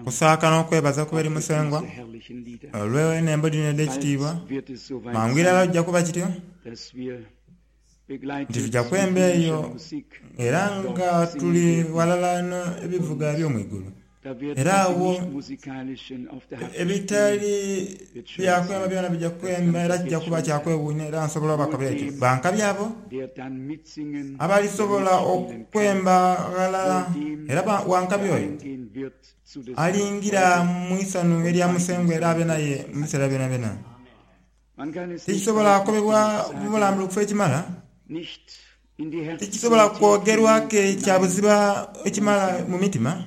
Okusaaka n'okwebaza kube eri Musengwa olw'enhembo dhino edh'ekitiibwa. Mangu irala kija kuba kityo nti tuja kwemba eyo era nga tuli ghalala n'ebivuga eby'omu igulu. Era agho ebitali bya kwemba byona bija kwemba era kija kuba kya kwewuunia era nsobola obakobera ekyo. Ba nkabi abo abalisobola okwemba ghalala era wa nkabi oyo alingira mu isanhu erya Musengwa era abe naye mu biseera byonabyona. Tikisobola kukobebwa mu bulambulukufu ekimala. Tikisobola kwogerwa ke kya buziba ekimala mu mitima.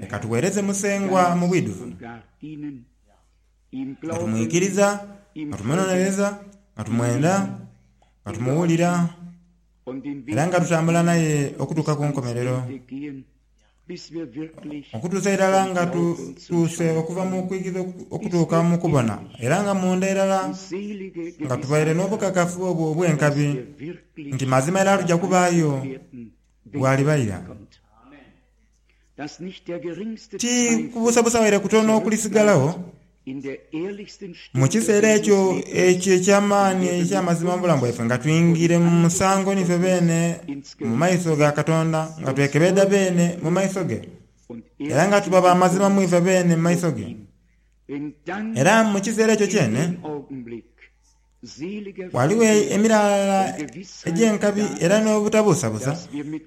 Leka tugheereze Musengwa mu bwidhuvu, nga tumwikiriza, nga tumunonereza, nga tumwenda, nga tumuwulira, era nga tutambula naye okutuuka ku nkomerero. Okutuusa irala nga tutuuse okuva mu kwikiriza okutuuka mu kubona, era nga munda irala nga tubaire n'obukakafu obwo obw'enkabi nti mazima irala tuja kubaayo bw'alibaira. Ti kubuusabuusa waire kutono okulisigalagho mu kiseera ekyo ekyo eky'amaani eky'amazima mu bulamu bwaife, nga twingiire mu musango nife beene mu maiso ga Katonda, nga twekebedha beene mu maiso ge, era nga tuba ba mazima mu ife beene mu maiso ge. Era mu kiseera ekyo kyene, Ghaligho emiraala egy'enkabi era n'obutabuusabuusa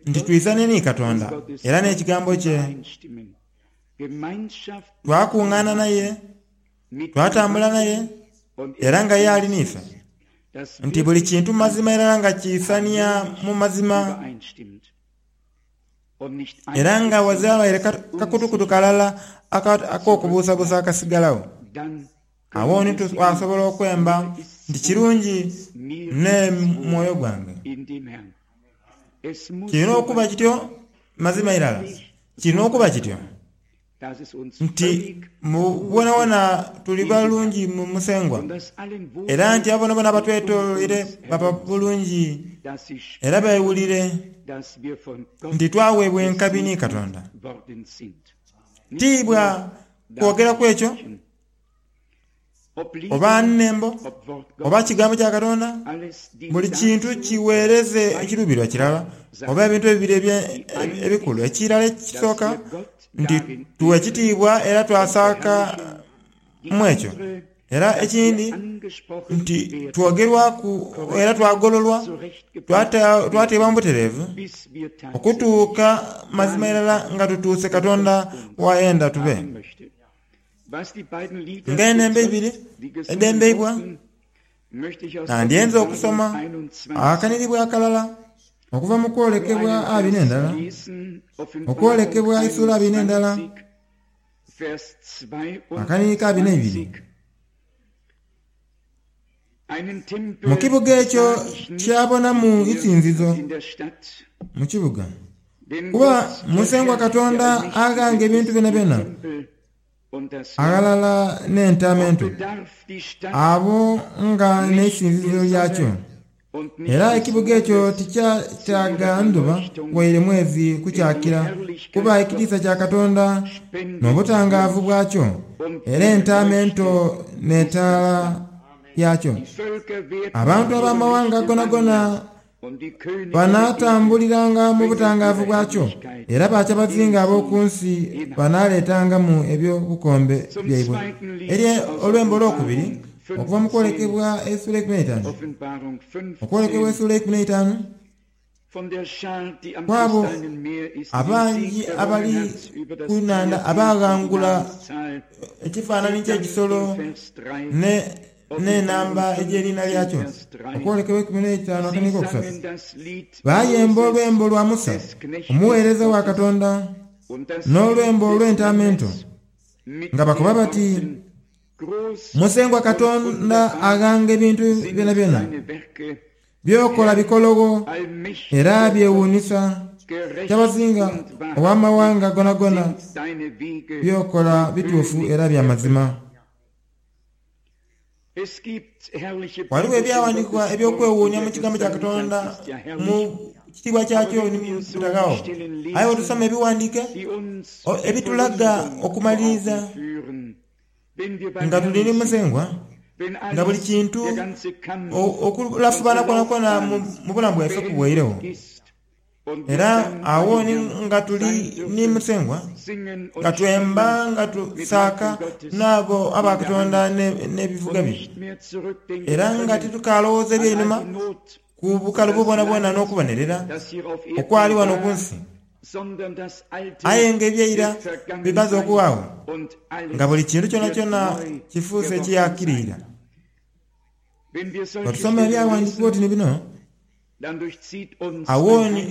nti twisane ni Katonda era n'Ekigambo kye. Twakungaana naye, twatambula naye, era nga ye ali n'ife, nti buli kintu mazima irala nga kiisania mu mazima, era nga ghazira waire kakutukutu kalala ak'okubuusabuusa akasigalagho. Agho ni twasobola okwemba nti, Kirungi n'omwoyo gwange. Kirina okuba kityo, mazima irala kirina okuba kityo, nti mu bwonabwona tuli balungi mu Musengwa, era nti abo boonaboona abatwetoloire baba bulungi era bewulire nti twaweebwa enkabi ni Katonda. Ti bwa kwogera ku ekyo, oba nnembo, oba Kigambo kya Katonda, buli kintu kiweereze ekiruubirirwa kirala, oba ebintu ebibiri ebikulu. Ekirala ekisooka, nti tuwa ekitiibwa era twasaaka mu ekyo. Era ekindi, nti twogerwaku era twagololwa, twateebwa mu butereevu, okutuuka mazima irala nga tutuuse Katonda w'ayenda tube. Nga enembo eibiri edhembeibwa, nandyenze okusoma akanhiribwa akalala okuva mu kwolekebwa abiri n'endala, Okwolekebwa eisuula abiri n'endala, akanhiriri ka abiri n'eibiri. Mu kibuga ekyo kyabonamu isinzizo mu kibuga, kuba Musengwa Katonda Aghanga Ebintu Byonabyona aghalala n'Entaama Ento, abo nga n'eisinzizo lyakyo. Era ekibuga ekyo tikyetaaga ndhuba waire mwezi kukyakira, kuba ekitiisa kya Katonda n'obutangaavu bwakyo, era Entaama Ento n'etaala yaakyo. Abantu ab'amawanga gonagona banaatambuliranga mu butangaavu bwakyo, era bakyabazinga ab'oku nsi banaaleetangamu eby'obukombe byaibwe. Eri olwembo olwokubiri okuva mu kwolekebwa esula eikumi n'eitaanu, Okwolekebwa esula eikumi n'eitaanu, ku abo abangi abali ku nhandha abaaghangula ekifaananhi ky'ekisolo ne n'enamba egy'eriina lyakyo. Okwolekebwa 15 akaniiko okusatu. Baayemba olwembo lwa Musa omugheereza wa Katonda, n'olwembo olw'Entaama Ento, nga bakoba bati, Musengwa Katonda Aghanga Ebintu Byonabyona, by'okola bikologho era byewuunhisa. Kyabazinga ow'amawanga goonagoona, by'okola bituufu era bya mazima. Ghaligho ebyawandiikibwa eby'okwewuunia mu Kigambo kya Katonda mu kitiibwa kyakyo ni butaghaagho. Aye bwetusoma ebighandiike ebitulaga okumaliriza nga tuli ni Musengwa, nga buli kintu okulafubana kwonakwona mu bulamu bwaife kuweiregho, era agho ni nga tuli ni Musengwa, nga twemba nga tusaaka n'abo aba Katonda n'ebivuga bye, era nga titukaalowooza eby'einhuma ku bukalubo bwonabwona n'okubonerera okwali wano ku nsi. Aye nga eby'eira bimaze okuwaagho, nga buli kintu kyonakyona kifuuse ekiyaakiriira. Bwe tusoma Ebyaghandiikibwa oti ni bino, agho ni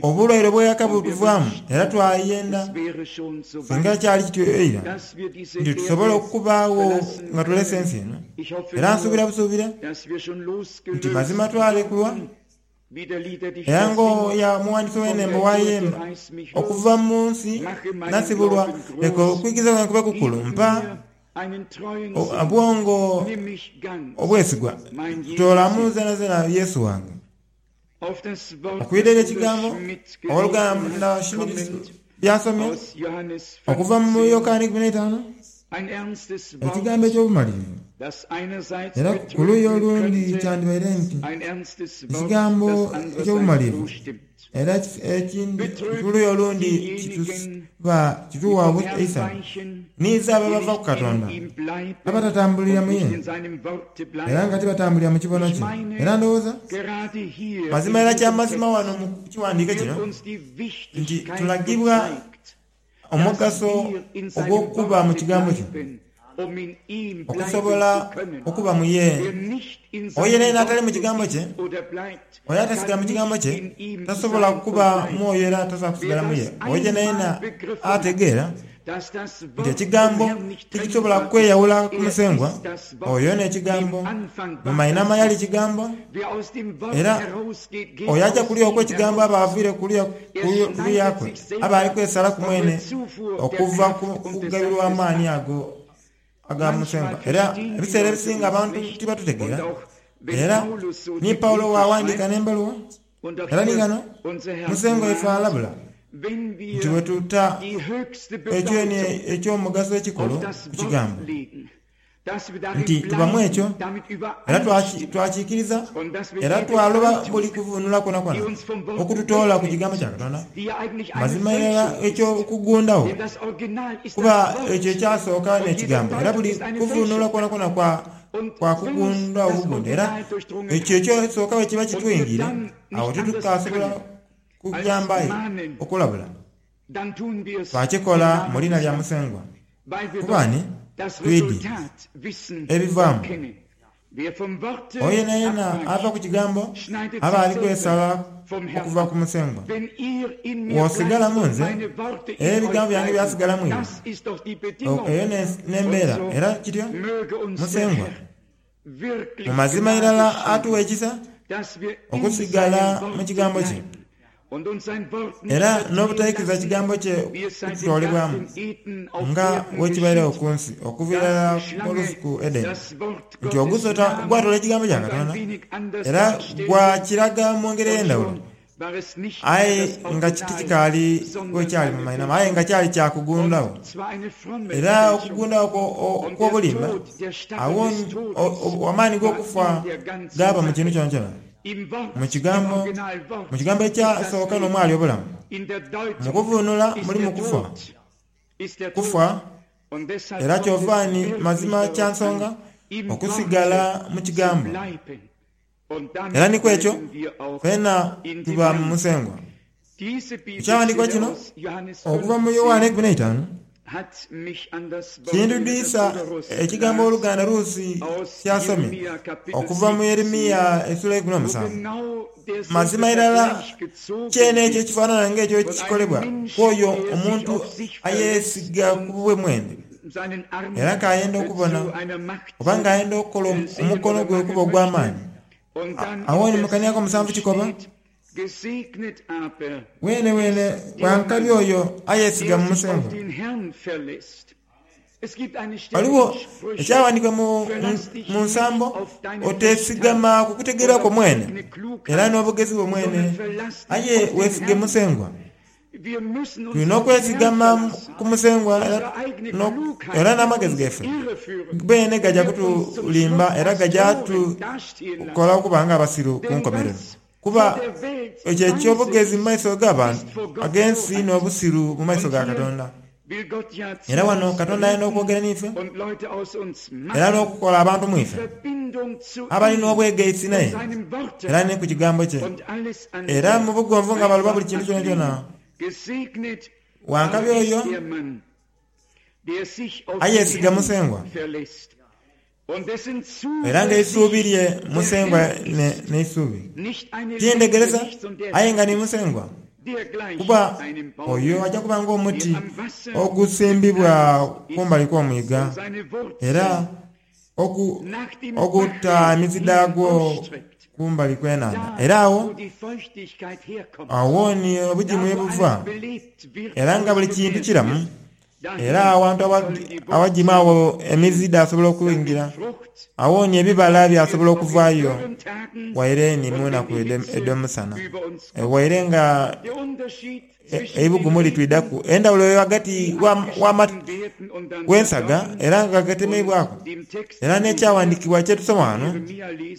obulwaire obw'eghaka butuvaamu era twayenda, singa kyali kityo eira, nti tusobole okubaagho nga tulese ensi eno. Era nsuubira busuubire nti mazima twalekulwa. Era ng'oyo omughandiisi w'enhembo bw'ayemba, Okuva mu nsi nasibulwa, leka okwikiriza kwange kube kukulu, mpa obwongo obwesigwa, toolamu zenazena Yesu wange. Okwidha eri ekigambo owoluganda Schmidt by'asomye okuva mu Yokaana 15, ekigambo eky'obumalirivu, era ku luuyi olundi kyandibaire nti ekigambo eky'obumalirivu, era ekindi ku luuyi olundi kituwa eisanhu. Niize abo abava ku Katonda, abatatambulira mu ye, era nga tibatambulira mu kibono kye. Era ndowooza, mazima era kya mazima wano mu kiwandiike kino, nti tulagibwa omugaso ogw'okuba mu Kigambo kye, okusobola okuba mu ye. Oyo yenayena atali mu Kigambo kye, oyo atasigala mu Kigambo kye, tasobola kuba mu oyo era tasobola kusigala mu ye. Oyo yenayena ategeera nti Ekigambo tikisobola kweyawula ku Musengwa, oyo n'Ekigambo. Mu mainhama yali Kigambo, era oyo aja kuliya okw'Ekigambo aba aviire kuluya kwe, aba ali kwesalaku mwene okuva ku kugabirwa amaani ago aga Musengwa. Era ebiseera ebisinga abantu tibatutegeera. Era ni Paulo bw'awandiika n'embaluwa, Era ni ghano Musengwa waife alabula nti bwe tuta ekyeni eky'omugaso ekikulu ku Kigambo, nti tuba mu ekyo, era twakiikiriza, era twaloba buli kuvuunula kwonakwona okututoola ku Kigambo kya Katonda, mazima irala eky'okugundagho, kuba ekyo ekyasooka n'Ekigambo, era buli kuvuunula kwonakwona kwa kwa kugundha obugundhe, era ekyo eky'osooka bwe kiba kitwingiire, agho titukaasobola kuyamba aye okulabula. Twakikola mu liina lya Musengwa, kuba ni twidhi ebivaamu. Oyo yenayena ava ku kigambo aba ali kwesala okuva ku Musengwa. Bw'osigala mu nze, era ebigambo byange byasigala mu iwe, eyo n'embeera. Era kityo Musengwa mu mazima irala atuwa ekisa okusigala mu kigambo kye, era n'obutaikiriza kigambo kye kututoolebwamu, nga bwekibairegho ku nsi okuva irala mu lusuku Edeni, nti ogusota gwatoola ekigambo kya Katonda era gwakiraga mu ngeri ey'endhawulo. Aye nga tikikaali bwekyali mu mainhama, aye nga kyali kya kugundhagho. Era okugundhagho okw'obulimba, agho amaani g'okufa gaaba mu kintu kyonakyona. Mu Kigambo, mu Kigambo ekyasooka n'omwali obulamu. Mu kuvuunula mulimu kufa, kufa, era kyova ni mazima kya nsonga okusigala mu Kigambo. Era ni ku ekyo twena tuba mu Musengwa. Ekyawandiikibwa kino okuva mu Yoanne 15 kindhudhisa ekigambo owoluganda Ruusi ky'asomye okuva mu Yeremia esula eikumi n'omusanvu. Mazima irala kyene ekyo ekifaanana ng'ekyo ekikolebwa ku oyo omuntu ayeesiga ku bubwe mwene. Era k'ayenda okubona, oba ng'ayenda okukola omukono gwe okuba ogw'amaani. Agho ni mu kania ak'omusanvu kikoba, Bwenebwene wa nkabi oyo ayeesiga mu Musengwa. Ghaligho ekyaghandiikibwa mu nsambo, Oteesigama ku kutegeera kwo mwene era n'obugezi bwo mwene, aye weesige Musengwa. Tulina okwesigama ku Musengwa era n'amagezi gaife beene gaja kutulimba era gaja tukola okuba nga abasiru ku nkomerero. Kuba ekyo eky'obugezi mu maiso g'abantu ag'ensi n'obusiru mu maiso ga Katonda. Era wano Katonda ayenda okwogera n'ife era n'okukola abantu mu ife abalina obwegaisi naye era ni ku Kigambo kye, era mu bugonvu nga baloba buli kintu kyonakyona. Wa nkabi oyo ayeesiga Musengwa era nga eisuubi lye Musengwa n'eisuubi, ti ndhegeresa aye nga ni Musengwa. Kuba oyo aja kuba ng'omuti ogusimbibwa kumbali kw'omwiga, era oguta emizi dhaagwo kumbali kw'enhandha. Era agho agho ni obugimu ye buva, era nga buli kintu kiramu. Era awantu awagimu agho emizi dhasobola okwingira, agho ni ebibala byasobola okuvaayo waire ni mu naku edh'omusana, waire nga eibugumu litwidhaku. Endhawulo ghagati w'ensaga era nga gatemeibwaku era n'ekyaghandiikibwa kye tusoma ghano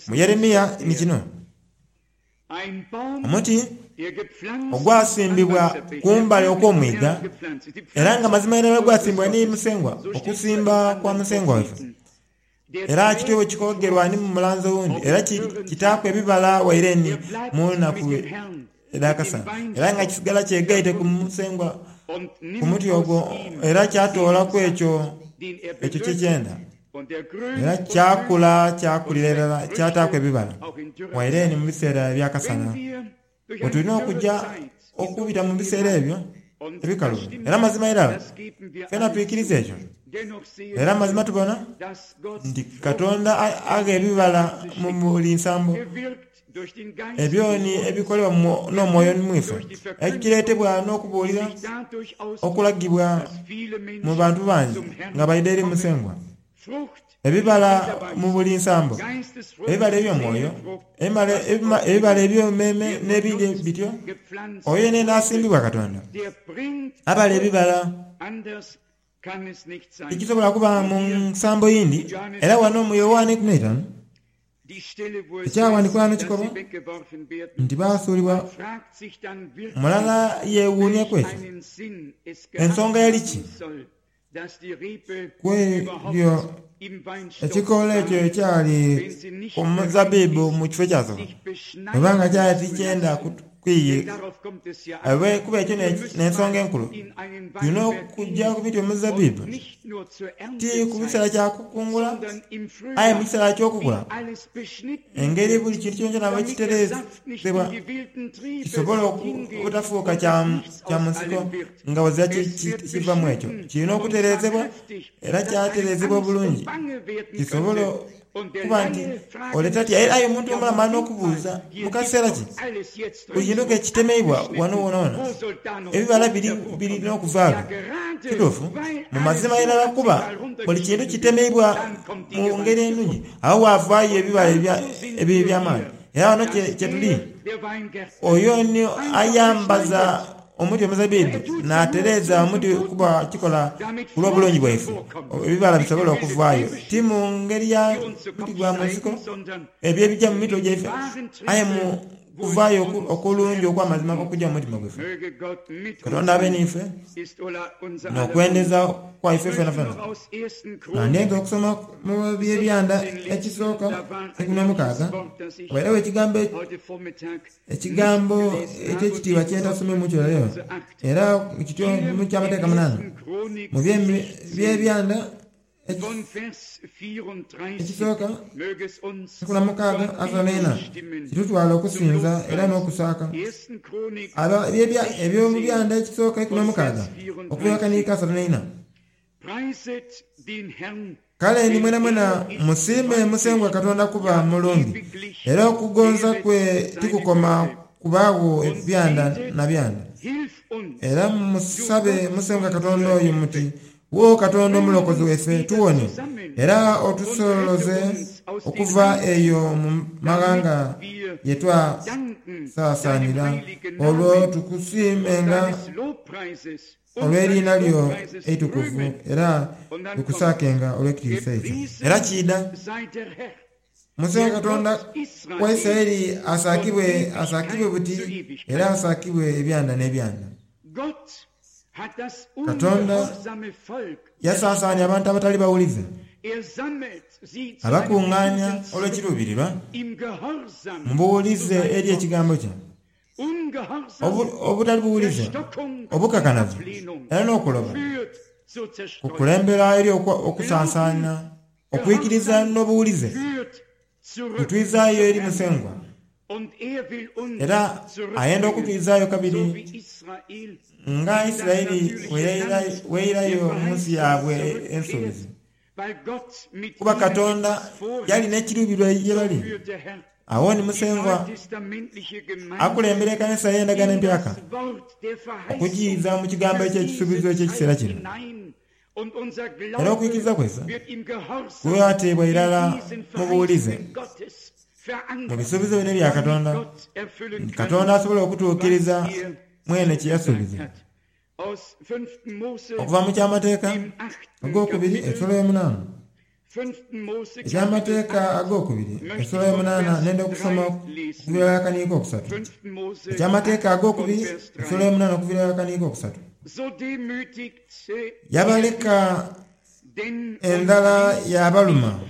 mu Yeremia ni kino. Omuti ogwasimbibwa ku mbali okw'omwiga, era nga mazima irala gwasimbibwa ni Musengwa, okusimba kwa Musengwa waife. Era kityo bwe kikogerwa ni mu mulanzi owundi, era kitaaku ebibala waire ni mu nnaku edh'akasana, era nga kisigala kyegaite ku Musengwa ku muti ogwo, era kyatoolaku ekyo ekyo kye kyenda. Era kyakula kyakulira irala kyataaku ebibala, waire ni mu biseera eby'akasana. Bwe tulina okuja okubita mu biseera ebyo ebikalubo. Era mazima irala twena twikiriza ekyo. Era mazima tubona nti Katonda agha ebibala mu buli nsambo. Ebyo ni ebikolebwa n'omwoyo mu ife, ekireetebwa n'okubuulira okulagibwa mu bantu bangi nga baidha eri Musengwa. Ebibala mu buli nsambo, ebibala eby'omwoyo, ebibala eby'emmeeme n'ebindi bityo, oyo yenayena asimbibwa Katonda abala ebibala. Tikisobola kuba mu nsambo yindi. Era wano mu Yoanne 15, Ekyaghandiikibwa ghano kikoba nti baasuulibwa. Mulala yeewuunia ku ekyo. Ensonga yali ki? Ku ebyo ekikoola ekyo ekyali ku muzabbibu mu kifo ekyasooka, bweba nga kyali tikyenda Kuba ekyo n'ensonga enkulu, tulina okuja ku miti emizabbibu, ti ku kiseera kya kukungula, aye mu kiseera ky'okukula, engeri buli kintu kyonakyona bwe kitereezebwa kisobole obutafuuka kya mu nsiko nga ghazira kiva mu ekyo. Kirina okutereezebwa era kyatereezebwa obulungi kisobole Kuba nti ole tatya era aye omuntu omulamu ali n'okubuuza, Mu kaseera ki? Buli kintu ke kitemeibwa wano woonawoona, ebibala biri biri n'okuvaagho. Kituufu, mu mazima irala kuba buli kintu kitemeibwa mu ngeri enungi, agho waavaayo ebibala eby'amaani. Era wano kye tuli. Oyo ni ayambaza Omuti omuzabbibu n'atereeza omuti kuba kikola ku lw'obulungi bwaife, ebibala bisobole okuvaayo, ti mu ngeri ya muti gwa mu nsiko, ebyo ebija mu mitwe gyaife, aye mu kuvaayo okulungi okw'amazima okuja mu mutima gwaife. Katonda abe n'ife, n'okwendeza kwaife fenafena. Nandyenze okusoma mu Byebyanda ekisooka eikumi n'omukaaga, wabairegho ekigambo Ekigambo eky'ekitiibwa kye ntasomye kyo leero, era kityo mu Kyamateeka munaana mu by'ebyanda ekisooka 16 asatu n'eina kitutwala okusinza era n'okusaaka. Eby'omu byanda ekisooka 16 okuva akaniika 34. Kale ni mwenamwena musiime Musengwa Katonda kuba mulungi, era okugonza kwe tikukoma kubaagho byanda na byanda. Era musabe Musengwa Katonda oyo muti, Wo Katonda Omulokozi waife, tuwonie era otusoloze okuva eyo mu maghanga ye twasaasaanira, olwo tukusiimenga olw'eriina lyo eitukuvu era tukusaakenga olw'ekitiisa ekyo. Era kiidha. Musengwa Katonda wa Isiraeli asaakibwe, asaakibwe buti era asaakibwe ebyanda n'ebyanda. Katonda yasansaania abantu abatali bawulize, abakungaania olw'ekiruubirirwa mu buwulize eri ekigambo kye. Obutali buwulize, obukakanavu era n'okuloba kukulembera eri okusansaana. Okwikiriza n'obuwulize bitwizaayo eri Musengwa, era ayenda okutwizaayo kabiri nga Isiraeli bw'eirayo mu nsi yaabwe ensuubize. Kuba Katonda yali n'ekiruubirirwa ye bali. Agho ni Musengwa akulembera ekanisa ey'Endagaano Empyaka okugiiza mu kigambo eky'ekisuubizo eky'ekiseera kino. Era okwikiriza kwaife kulateebwa irala mu buwulize mu bisuubizo bino ebya Katonda, nti Katonda asobola okutuukiriza mwene kye yasuubiza. Okuva mu Kyamateeka Agokubiri esula eyomunaana. Ekyamateeka Agokubiri esula eyomunaana nenda okusoma okuviira ghala akaniiko okusatu. Ekyamateeka Agokubiri esula eyomunaana okuviira ghala akaniiko okusatu. Yabaleka endhala yaabaluma,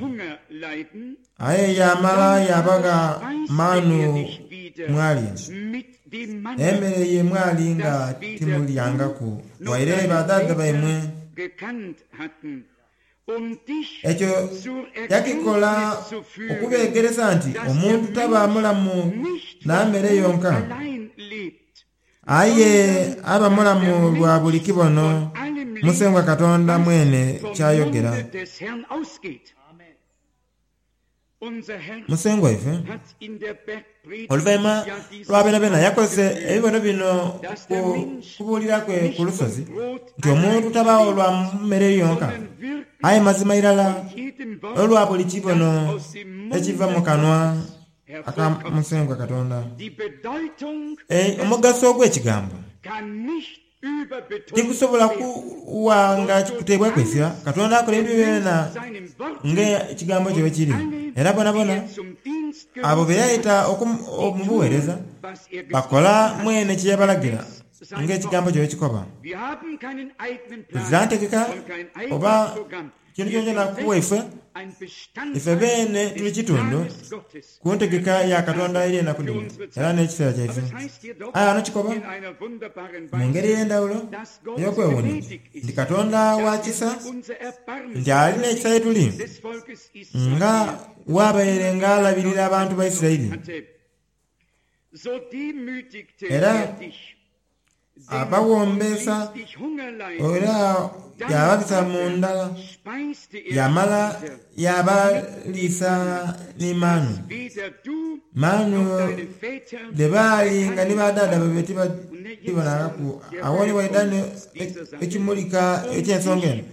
aye yaamala yaabagha maanu mwalya, emere ye mwali nga timulyangaku waire badhaadha baimwe. Ekyo yakikola okubeegeresa nti omuntu taba mulamu na mere yonka, Aye aba mulamu lwa buli kibono Musengwa Katonda mwene ky'ayogera. Musengwa waife oluvainhuma lwa byonabyona yakozesa ebibono bino ku kubuulira kwe ku lusozi, nti omuntu tabaagho lwa mere yonka, aye mazima irala olwa buli kibono ekiva mu kanwa aka Musengwa Katonda. Omugaso ogw'ekigambo tigusobola kuwa nga kuteebwaku isira. Katonda akola ebintu byonabyona ng'ekigambo kye bwe kiri. Era boonaboona abo be yaita mu bugheereza bakola mwene kye yabalagira ng'ekigambo kye bwe kikoba. Tuzira ntegeka oba Kintu kyonakyona ku ife, ife beene tuli kitundu ku ntegeka ya Katonda eri enaku dhino era n'ekiseera kyaife. Aye ghano kikoba mu ngeri ey'endhawulo ey'okwewuunia nti Katonda wa kisa, nti ali n'ekisa ye tuli nga bw'abaire nga alabirira abantu ba Isiraeli. Era Abawombeesa era yaababisa mu ndhala, yaamala yaabaliisa ni maanu. Maanu dhe baali nga ni badhaadha baibwe tibadhibonangaku. Agho ni waidha ekimulika eky'ensonga eno.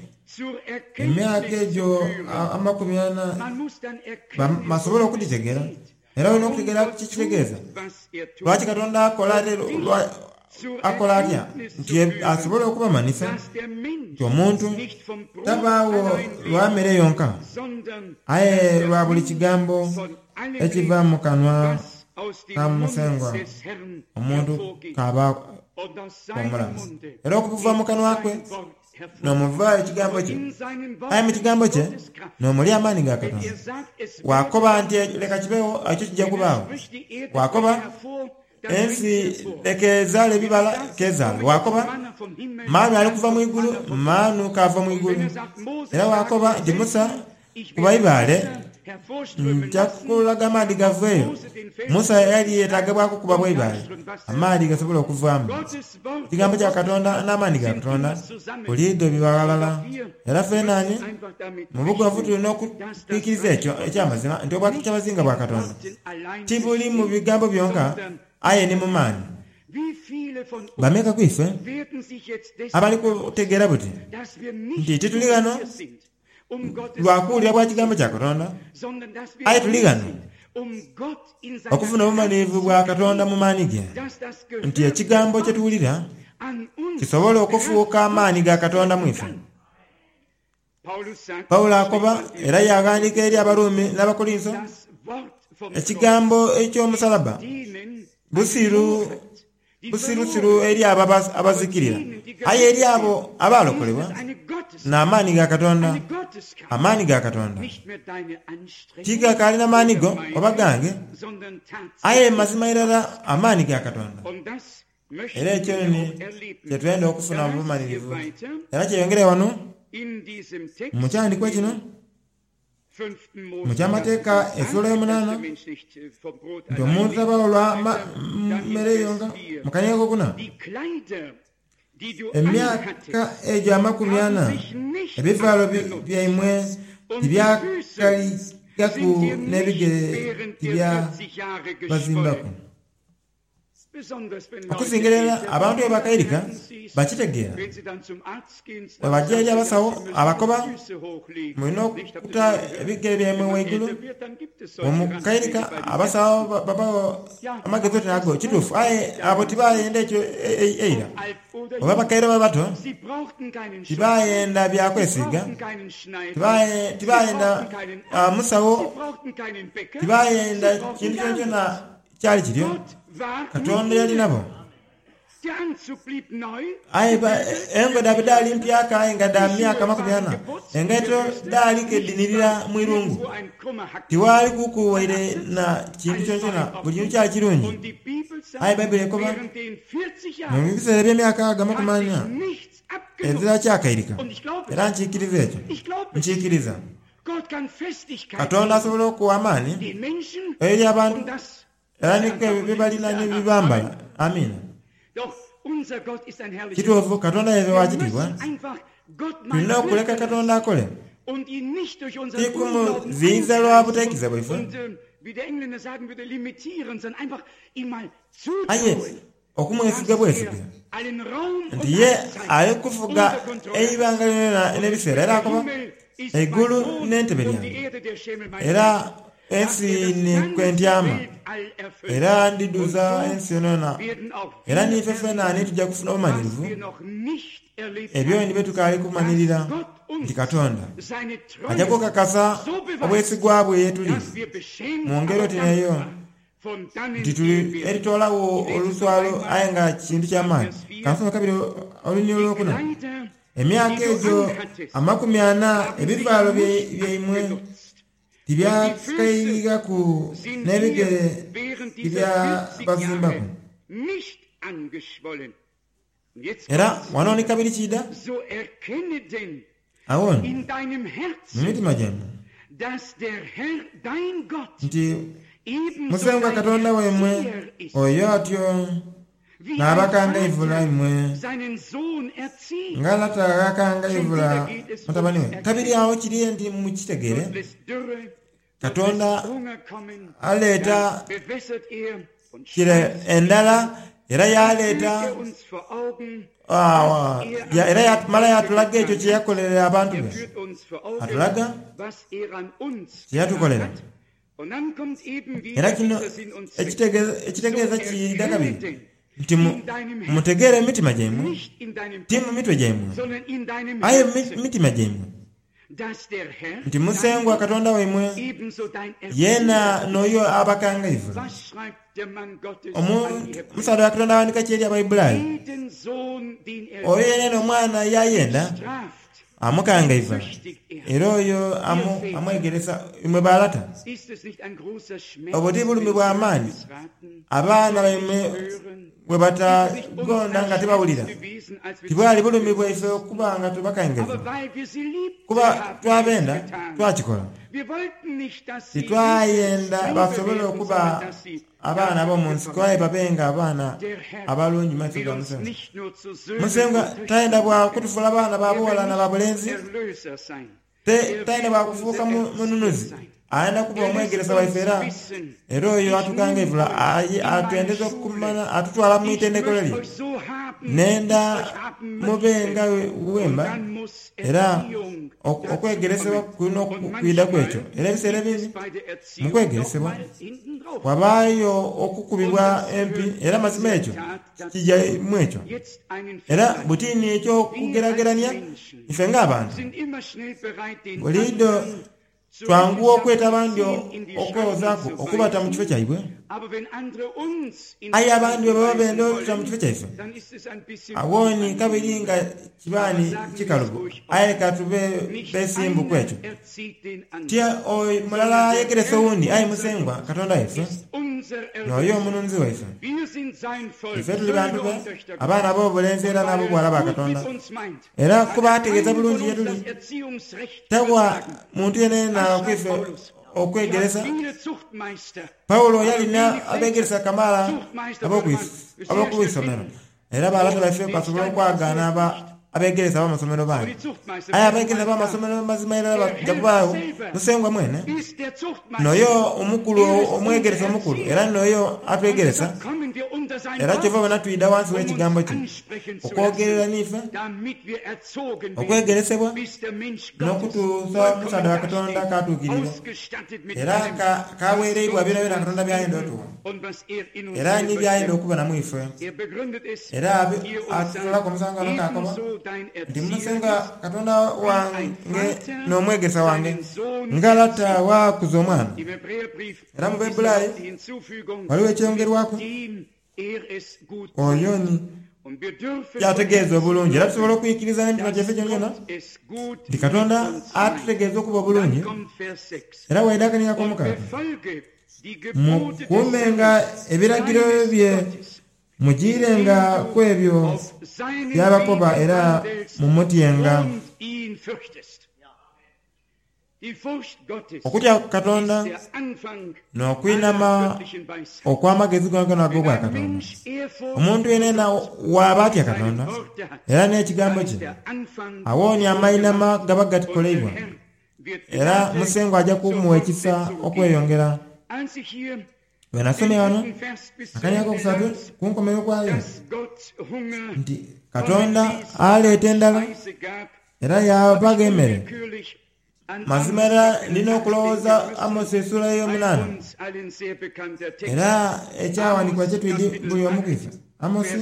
Emyaka egyo amakumi ana basobole okudhitegeera. Era olina okutegeera kye kitegeeza. Lwaki Katonda akola ate akola atya nti asobole okubamanhisa nti omuntu tabaagho lwa mere yonka, aye lwa buli kigambo ekiva mu kanwa ka Musengwa omuntu k'aba omulamu. Era okuva mu kanwa kwe n'omuva ekigambo kye, aye mu kigambo kye n'omuli amaani ga Katonda. Bw'akoba nti leka kibeegho, ekyo kija kubaagho. Bw'akoba ensi leka ezaale ebibala, k'ezaale. Bw'akoba maanu ali kuva mu igulu, maanu k'ava mu igulu. Era bw'akoba nti Musa Kuba ibaale, nja kukulaga amaadhi gaveeyo. Musa yali yeetaaga bwa kukuba bwa ibaale, amaadhi gasobole okuvaamu. Ekigambo kya Katonda n'amaani ga Katonda buliidho biba ghalala. Era feena ni mu bugonvu tuli n'okwikiriza ekyo eky'amazima nti Obwakyabazinga bwa Katonda tibuli mu bigambo byonka aye ni mu maani. Bameka ku ife abali kutegeera buti nti tituli ghano lwa kuwulira bwa Kigambo kya Katonda, aye tuli ghano okufuna obumalirivu bwa Katonda mu maani ge, nti Ekigambo kye tuwulira kisobole okufuuka amaani ga Katonda mu ife. Paulo akoba era yaaghandiika eri Abaruumi n'Abakorintho, Ekigambo eky'omusalaba busiru busirusiru eri abo abazikirira, aye eri abo abaalokolebwa, n'amaani ga Katonda. Amaani ga Katonda tigakaali na maani go oba gange, aye mazima irala amaani ga Katonda. Era ekyo ni kye twenda okufuna mu bumalirivu. Era kyeyongere ghano mu kyandikwa kino mu ky'Amateeka esuula eyomunaana nti omuntu tabawo lwa mere yonka. Mu kania akokuna, emyaka egyo amakumi ana ebivaalo byaimwe tibyakaligaku n'ebigere tibyabazimbaku. Okusingira irala abantu bwe bakairika bakitegeera. Bwe baja eri abasawo abakoba, Mulina okuta ebigere byaimwe ghaigulu. Bwe mukairika abasawo babagha amagezi oti ago. Kituufu, aye abo tibayenda ekyo eira. Oba bakaire oba bato, tibayenda bya kwesiiga, tibayenda musawo, tibayenda kintu kyonakyona. Kyali kityo, Katonda yali nabo. Aye engoye dhaibwe dhaali mpyaka aye nga dha myaka 40. Engaito dhaali ke dhinhirira mu irungu. Tiwaali kuku waire na kintu kyonakyona, buli kintu kyali kirungi. Aye Baibuli ekoba, Mu biseera eby'emyaka ago amakumi ana, ezira kyakairika. Era nkiikiriza ekyo. Nkiikiriza. Katonda asobola okuwa amaani eri abantu era ni kwebyo bye balina ni bye bambala. Amiina. Kituufu, Katonda yaife wa kitiibwa. Tulina okuleka Katonda akole, ti kumuziyiza lwa butaikiriza bwaife, aye okumwesiga bwesige nti ye ali kufuga eibanga lyonalyona n'ebiseera. Era akoba, Eigulu n'entebe lyange, era ensi ni kwe ntyama, era ndidhuza ensi yonayona. Era n'ife fena ni tuja kufuna obumanhirivu, ebyo ni bye tukaali kumanhirira, nti Katonda aja kukakasa obwesigwa bwe ye tuli mu ngeri oti n'eyo. Nti tuli eritoolagho oluswalo aye nga kintu kya maani. Kansome kabiri olunyiriri olwokuna. Emyaka egyo amakumi ana ebivaalo byaimwe tibyakairighaku n'ebigere tibyabazimbaku. Era wano ni kabiri kiidha. Agho ni, mu mitima gyaimwe, nti Musengwa Katonda waimwe oyo atyo n'abakangaivula imwe, nga lata gh'akangaivula mutabane we. Kabiri agho kiri nti mukitegeere, Katonda aleeta kire endhala era yaaleeta era yaamala yaatulaga ekyo kye yakolera abantu be. Atulaga kye yatukolera. Era kino ekitegeeza kiidha kabiri nti mutegeere mu mitima gyaimwe, ti mu mitwe gyaimwe, aye mu mitima gyaimwe. Nti Musengwa Katonda waimwe yeena n'oyo abakangaivula. Omusaadha wa Katonda aghandika ki eri Abaiburayi? Oyo yenayena omwana y'ayenda amukangaivula, era oyo amwegeresa. Imwe ba lata, obwo ti bulumi bwa maani abaana baimwe bwe batagonda nga tibawulira, tibwali bulumi bwaife okuba nga tubakangaivu, kuba twabenda twakikola. Titwayenda basobole okuba abaana ab'omu nsiko aye babenga abaana abalungi mu maiso ga Musengwa. Musengwa tayenda bwa kutufuula baana ba bughala na ba bulenzi, tayenda bwa kufuuka mununuzi. Ayenda kuba omwegeresa waife era era oyo atukangaivula atwendeza okumanya atutwala mu itendekero lye. Nenda mube nga wemba era okwegeresebwa kulina okwidha ku ekyo. Era ebiseera ebindi mu kwegeresebwa wabaayo okukubibwa empi era mazima ekyo kija mu ekyo. Era buti ni eky'okugeragerania ife ng'abantu buliidho Twanguwa okweta abandi okwewozaaku okubata mu kifo kyaibwe. Aye abandi bwe baba benda otuta mu kifo kyaife, agho ni kabiri nga kiba ni kikalubo. Aye ka tube beesimbu ku ekyo. Ti mulala ayegeresa owundi, aye Musengwa Katonda waife n'oyo Omununzi waife. Ife tuli bantu be, abaana ab'obulenzi era n'ab'obughala ba Katonda. Era kuba ategeeza bulungi ye tuli, tagwa muntu yenayena ku ife okwegeresa. Paulo yali n'abeegeresa kamaala ab'oku isomero, era balata baife basobola okwagaana abeegeresa ab'amasomero bangi. Aye abeegeresa b'amasomero mazima irala baja kubaagho Musengwa mwene. N'oyo omukulu, omwegeresa omukulu, era n'oyo atwegeresa. Era kyova obona twidha ghansi w'ekigambo kye okwogerera n'ife, okwegeresebwa, n'okutuusa omusaadha wa Katonda k'atuukiriire era k'aweereibwa byonabyona Katonda by'ayenda otuwa, era ni by'ayenda okubona mu ife. Era atutoolaku omusango ghano k'akoba nti, Musengwa Katonda wange n'omwegeresa wange, nga lata bw'akuza omwana. Era mu Baibulai ghaligho ekyongerwaku oyo ni ky'ategeeza obulungi. Era tusobola okwikiriza n'emitima gyaife gyonagyona nti Katonda atutegeeza okuba obulungi. Era bw'aidha akaniga ak'omukaaga, Mukuumenga ebiragiro bye, mujiirenga ku ebyo by'abakoba era mumutyenga. Okutya Katonda n'okwinhama okw'amagezi goonagoona ag'obwakatonda. Omuntu yenayena bw'aba atya Katonda era n'ekigambo kye, agho ni amainhama gaba gakoleibwa, era Musengwa aja kumugha ekisa okweyongera. Bwe nasomye ghano akanigo akokusatu ku nkomerero kwayo nti Katonda aleeta endhala era yaabagha emere. Mazima era ndi n'okulowooza Amosi esuula eyomunaana era ekyaghandiikibwa kye twidhi buli omu ku ife. Amosi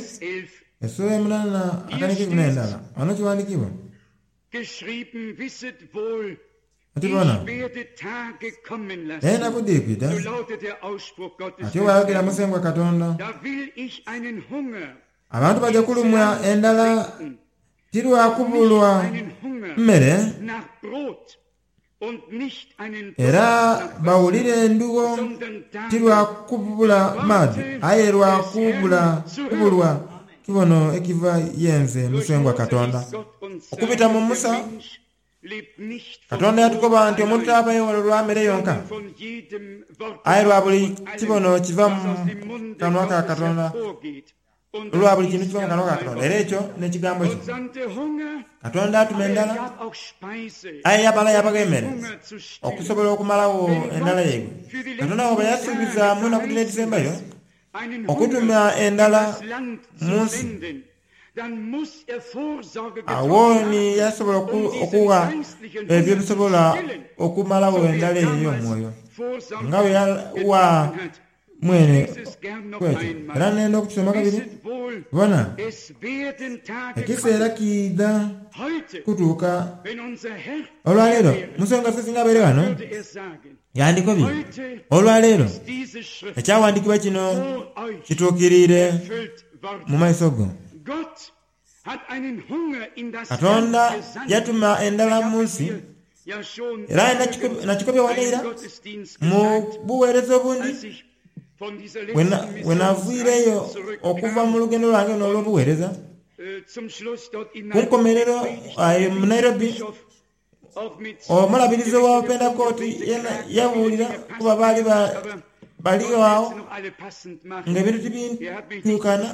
esuula eyomunaana akanigo eikumi n'endala ghano kighandiikibwa. Ati bona, enaku dhiri kwidha, atyo bw'ayogera Musengwa Katonda, abantu baja kulumwa endhala ti lwa kubulwa mere, era bawulire endhugho ti lwa kubula maadhi, aye lwa kubulwa kibono ekiva ye nze Musengwa Katonda. Okubita mu Musa, Katonda yatukoba nti omuntu taabaire wala lwa mere yonka, aye lwa buli kibono kiva mu kanwa ka Katonda, lwa buli kintu kiva mu kanwa ka Katonda, era ekyo n'Ekigambo kye. Katonda atuma endhala, aye yamala yaabagha emere okusobola okumalagho endhala yaibwe. Katonda bw'aba yasuubiza mu naku dhino edhisembayo okutuma endhala mu nsi, Agho ni yasobola okugha ebyo ebisobola okumalagho endhala eyo ey'omwoyo, nga bwe yagha mwene ku ekyo. Era nenda okukisoma kabiri. Bona, ekiseera kiidha kutuuka. Olwaleero, Musengwa waife singa abaire ghano, yandikobye, Olwaleero ekyawandiikibwa kino kituukiriire. mu maiso go. Katonda yatuma endhala mu nsi, era nakikobye ghano eira mu bugheereza obundi, bwe naviireyo okuva mu lugendo lwange luno olw'obugheereza, ku nkomerero mu Nairobi, Omulabirizi owa Pentekooti yena yabuulira kuba baali baligho agho ng'ebintu tibituukana.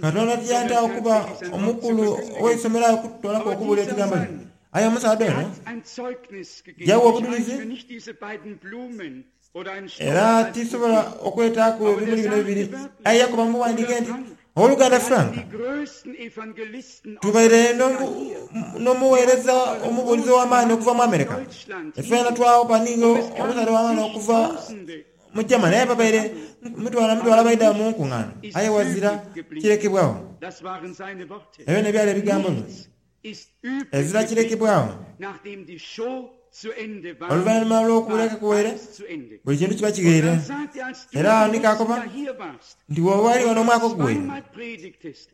Katonda tiyantagho kuba omukulu ow'eisomero agho okutoolaku okubuulira ekigambo kye. Aye omusaadha ono yawa obudhulizi, era tisobola okwetaaku ebimuli bino ebibiri. Aye yakoba mu bughandiike nti, Ow'oluganda Frank, tubaire n'omugheereza omubuulizi ow'amaani okuva mu Amerika. Ifeena twagho ni omusaadha ow'amaani okuva mu Germany, aye babaire mitwalo na mitwalo abaidha mu nkungaana, aye ghazira kirekebwagho. Ebyo n'ebyali ebigambo bye. Ezira kirekebwagho. Oluvainhuma lw'okuwulira kuwaire, buli kintu kiba kighaire. Era agho ni kaakoba nti bw'oba wali ghano omwaka oguwaire,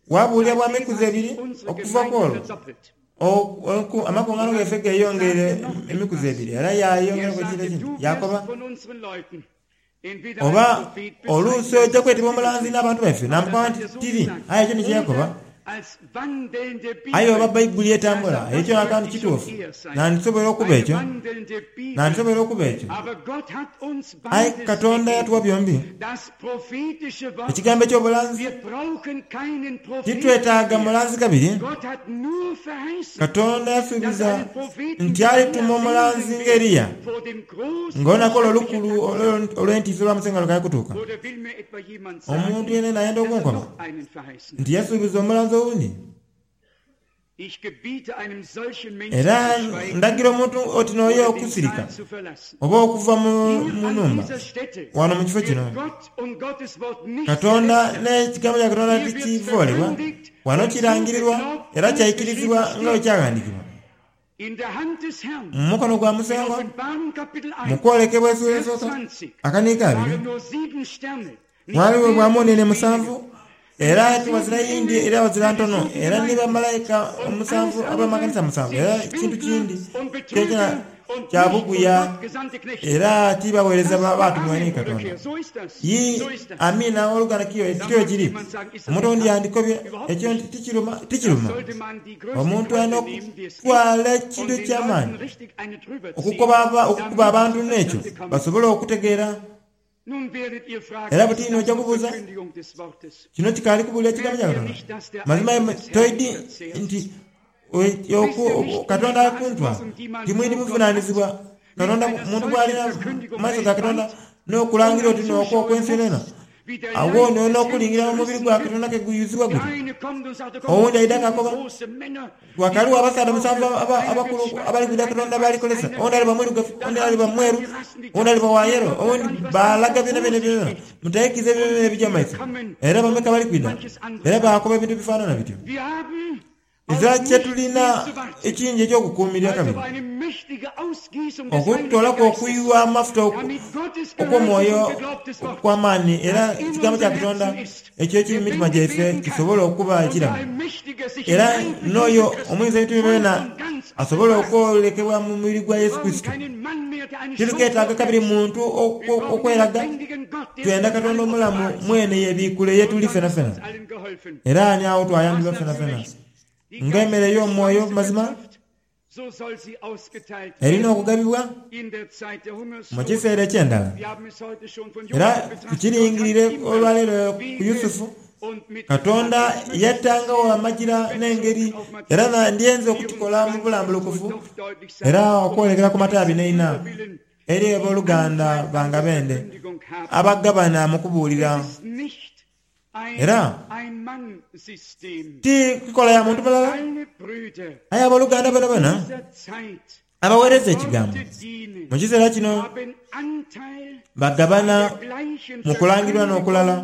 wabuulira bwa mikuzi ebiri okuva ku olwo, amakungaano gaife geeyongeire emikuzi ebiri. Era yaayongeraku ekintu ekindi, yaakoba, Oba oluusi oja kwetebwa omulanzi n'abantu baife. Naamukoba nti, Tiri. Aye ekyo ni kye yakoba. Aye oba Baibuli etambula, ekyo akantu kituufu. Nandisoboire okuba ekyo. Nandisoboire okuba ekyo. Aye Katonda yatuwa byombi Ekigambo eky'obulanzi. Titwetaaga mulanzi kabiri. Katonda yasuubiza nti alituma omulanzi nga Eliya, nga olunaku olwo olukulu olw'entiisa olwa Musengwa lukaali kutuuka. Omuntu yenayena ayenda okunkoba nti yasuubiza omulanzi owundi? Era ndagira omuntu oti n'oyo okusirika oba okuva mu nhumba wano mu kifo kino. Katonda n'Ekigambo kya Katonda tikivoolebwa. Wano kirangirirwa era kyaikirizibwa nga bwe kyaghandiikibwa. Mu mukono gwa Musengwa, mu kwolekebwa esuula esooka, akaniiko abiri, Ghaligho bwa muunene musanvu, era ti ghazira yindi era ghazira ntono, era ni bamalaika omusanvu ab'amakanisa musanvu, era kintu kindi kyonakyona kya buguya, era ti bagheereza baatumwa ni Katonda. Yii, amiina, ow'oluganda kiyo kityo bwe kiri. Omuntu owundi yandikobye ekyo nti tikiruma. Tikiruma. Omuntu alina okutwala ekintu eky'amaani okukuba abantu n'ekyo basobole okutegeera. Era buti inho oja kubuuza, Kino kikaali kubuulira kigambo kya Katonda? Mazima imwe toidhi nti Katonda ali kuntwala? Timwidhi buvunaanizibwa Katonda muntu bw'alina mu maiso ga Katonda n'okulangira oti n'okwo okw'ensi yonayona? Agho ni n'okulingira mu mubiri gwa Katonda ke guyuzibwa guti. Owundi aidha k'akoba, Ghakaligho abasaadha musanvu abakulu abali kwidha Katonda b'ali kozesa. Owundi aliba mwirugavu, owundi aliba mweru, owundi aliba wa yelo, owundi baalaga byonabyona byonabyona. Mutaikiza ebyo byonabyona ebija mu maiso. Era bameka abali kwidha era baakoba ebintu ebifaanana bityo? Ezira kye tulina ekingi eky'okukuumirira kabiri, okutoolaku okuyuwa amafuta okw'omwoyo okw'amaani era Ekigambo kya Katonda ekyo ekiri mu mitima gyaife kisobole okuba ekiramu, era n'oyo Omuyinza w'ebintu byonabyona asobole okwolekebwa mu mubiri gwa Yesu Kurisito. Titukeetaaga kabiri muntu okweraga, twenda Katonda omulamu mwene yebiikule ye tuli fenafena. Era ani agho twayambibwa fenafena ng'emere ey'omwoyo mazima erina okugabibwa mu kiseera eky'endhala. Era tukiringirire olwaleero ku Yusufu, Katonda yatangagho amajira n'engeri, era ndyenze okukikola mu bulambulukufu era okwolekera ku mataabi n'eina eri aboluganda bange abende abagabana mu kubuulira. Era ti nkola ya muntu mulala, aye aboluganda boonaboona abaweereza ekigambo mu kiseera kino bagabana mu kulangirirwa n'okulala,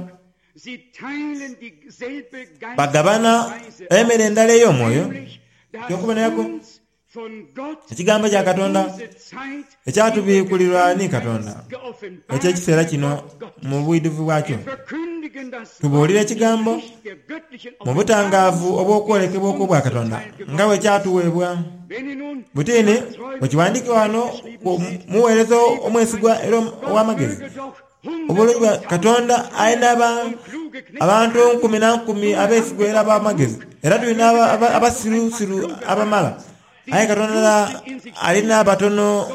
bagabana emere endala ey'omwoyo. Eky'okuboneraku, Ekigambo kya Katonda ekyatubiikulirwa ni Katonda eky'ekiseera kino mu bwidhuvu bwakyo. Tubuulira Ekigambo mu butangaavu obw'okwolekebwa okw'Obwakatonda nga bwe kyatuweebwa. Butini bwe kiwandiikibwa ghano ku mugheereza omwesigwa era ow'amagezi, Obulungi bwa Katonda alina abantu nkumi na nkumi abeesigwa era ab'amagezi, era tulina abasirusiru abamala. Aye Katonda alina abatono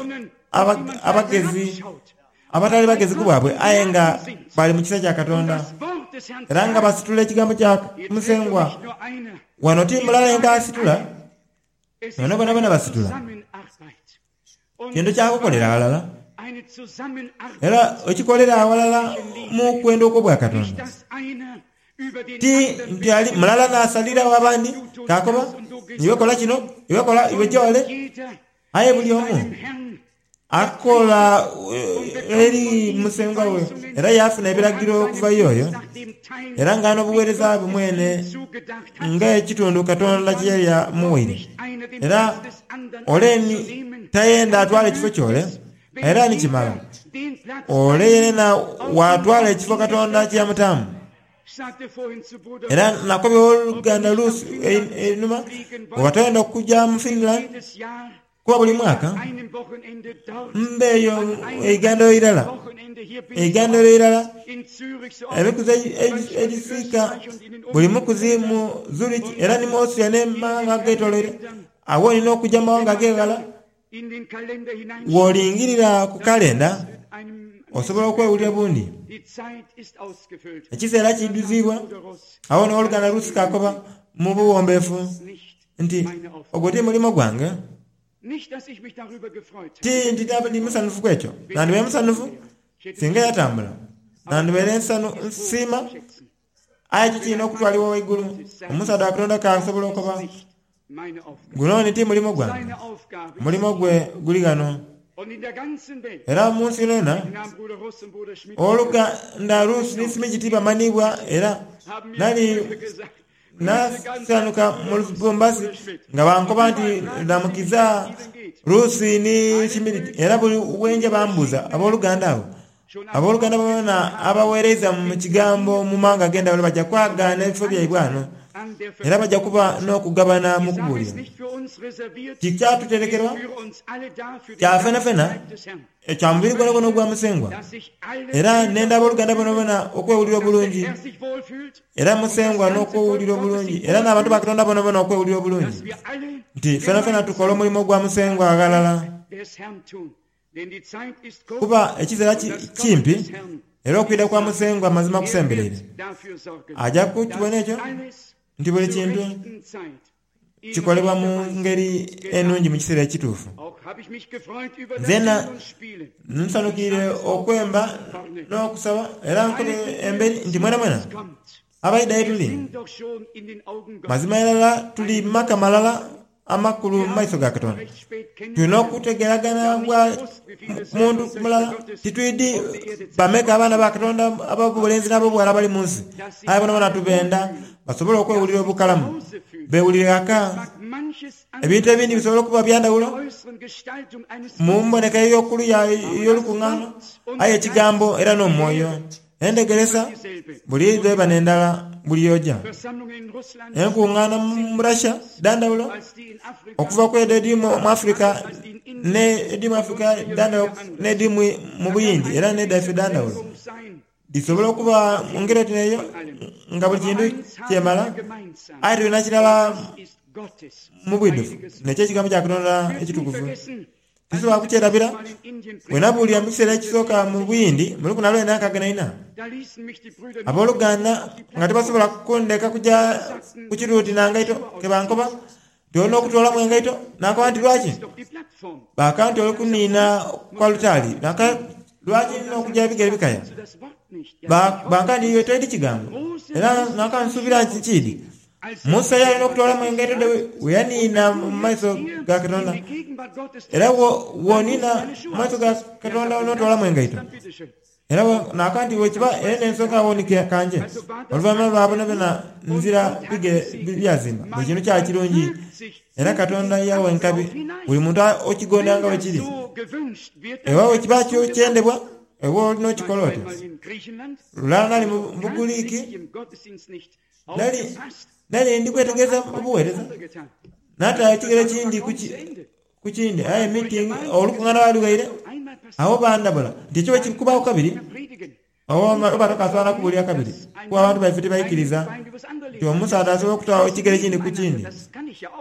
abagezi, abatali bagezi ku bwabwe, aye nga bali mu kisa kya Katonda, era nga basitula ekigambo kya Musengwa. Wano ti mulala yenka asitula. Bano bonabona basitula. Kintu kya kukolera ghalala, era okikolera aghalala mu kwenda okw'Obwakatonda. Ti nti ali mulala n'asaliragho abandi k'akoba, Iwe kola kino, iwe kola, iwe ja ole. Aye buli omu akola eri musengwa we era yaafuna ebiragiro okuva y'oyo, era nga n'obuweereza bwe mwene ng'ekitundu Katonda kye yali amuwaire. Era ole ni tayenda atwale ekifo ky'ole, era ni kimala ole yenena waatwala ekifo Katonda kye yamutaamu. Era nakobye owoluganda Ruth einhuma, bw'oba toyenda kuja mu Finland, Kuba buli mwaka mba eyo eigandholo irala, eigandholo irala, emikuzi egiswika buli mukuzi mu Zurich era ni mu Austria ne mu maghanga agetoloire. Agho olina okuja mu mawanga ag'eghala. Bw'olingirira ku kalenda, osobola okwewulira bundi. Ekiseera kiidhuziibwa. Agho ni owoluganda Rusk akoba mu buwombeefu nti, Ogwo ti mulimo gwange. Ti nti ndi musanhufu ku ekyo. Nandibaire musanhufu singa yatambula. Nandibaire nsiima, aye ekyo kirina okutwalibwa waigulu. Omusaadha wa Katonda k'asobola okoba, Guno ni ti mulimo gwange. Omulimo gwe guli ghano. Era mu nsi yonayona, owoluganda Ruth ni Smith tibamanhiibwa era nali Naasanhuka mu Lubumbashi nga bankoba nti ndamukiza Ruth ni Schmidt era buli bwenja bambuuza aboluganda abo. Aboluganda boonaboona abaweereiza mu kigambo mu mawanga ag'endhawulo baja kwagaana ebifo byaibwe ghano era baja kuba n'okugabana mu kubuulira. Tikyatuterekerwa kya fenafena. Ekya mubiri gwonagwona ogwa Musengwa. Era nenda aboluganda boonaboona okwewulira obulungi, era Musengwa n'okwewulira obulungi, era n'abantu ba Katonda boonaboona okwewulira obulungi, nti fenafena tukola omulimo gwa Musengwa aghalala. Kuba ekiseera kimpi, era okwidha kwa Musengwa mazima kusembereire. Aja kukibona ekyo nti buli kintu kikolebwa mu ngeri enungi mu kiseera ekituufu. Nzena nsanhukiire okwemba n'okusaba era nkobye emberi nti mwenamwena abaidha ye tuli, mazima irala tuli maka malala amakulu mu maiso ga Katonda. Tulina okutegeeragana bwa muntu mulala. Titwidhi bameka abaana ba Katonda ab'obulenzi n'ab'obughala abali mu nsi, aye bonabona tubenda basobole okwewulira obukalamu, beewulire ghaka. Ebintu ebindi bisobola okuba bya ndhawulo mu mboneka ey'okuluya ey'olukungaano, aye Ekigambo era n'Omwoyo. Endhegeresa buliidho eba n'endala buli y'oja. Enkungaana mu Russia dha ndhawulo okuva ku edho edhiri mu Africa n'edhiri mu Africa dha ndhawulo n'edhiri mu Buyindi era n'edhaife dha ndhawulo. Dhisobola okuba mu ngeri oti n'eyo nga buli kintu kyemala, aye tulina kirala mu bwidhuvu, n'eky'Ekigambo kya Katonda ekitukuvu. Tisobola kukyerabira, bwe nabuulira mu kiseera ekisooka mu Buyindi mu lukumi na lwenda nkaaga na ina, aboluganda nga tibasobola kundeka kuja ku kiruuti na ngaito ke bankoba nti olina okutoolamu engaito. Nankoba nti lwaki? Baakaba nti oli kuniina ku alutaari. Lwaki nina okuja ebigere bikaya? Banka nti iwe toidhi kigambo. Era nanka nsuubira nti nkiidhi. Musa yalina okutoolamu engaito dhe bwe yaniina mu maiso ga Katonda. Era bw'oniina mu maiso ga Katonda n'otoolamu engaito. Era naaka nti bwekiba era n'ensonga agho ni kanje. Oluvainhuma lwa boonaboona nzira bigere byazimba. Buli kintu kyali kirungi era Katonda yagha enkabi buli muntu okigonda nga bwe kiri. Ewa bwekiba kyendebwa, ewe olina okikola otyo. Lulala nali mu Buguriiki, nali ndi kwetegereza obuweereza, naataayo ekigere ekindi ku kindi, aye miitingi, olukungaana lwali lughaire. Agho bandabula nti ekyo bwekikubaagho kabiri, oba tokasobola na kubuulira kabiri, kuba abantu baife tibaikiriza nti omusaadha asobola okutaagho ekigere ekindi ku kindi.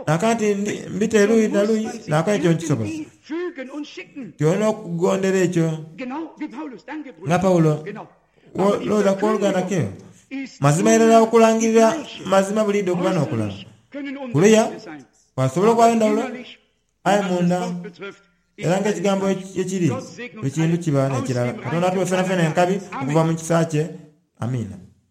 Nakoba nti mbita eruuyi na luuyi, nakoba ekyo nkisobola. Nti olina okugondera ekyo nga Paulo. Lowooza ku oluganda keyo. Mazima irala okulangirira mazima buliidho okuba n'okulala. Kuluya. Ghasobola okubagho endhawulo, aye munda, era ng'ekigambo bwe kiri, buli kintu kiba n'ekirala. Katonda atuwe fenafena enkabi okuva mu kisa kye. Amiina.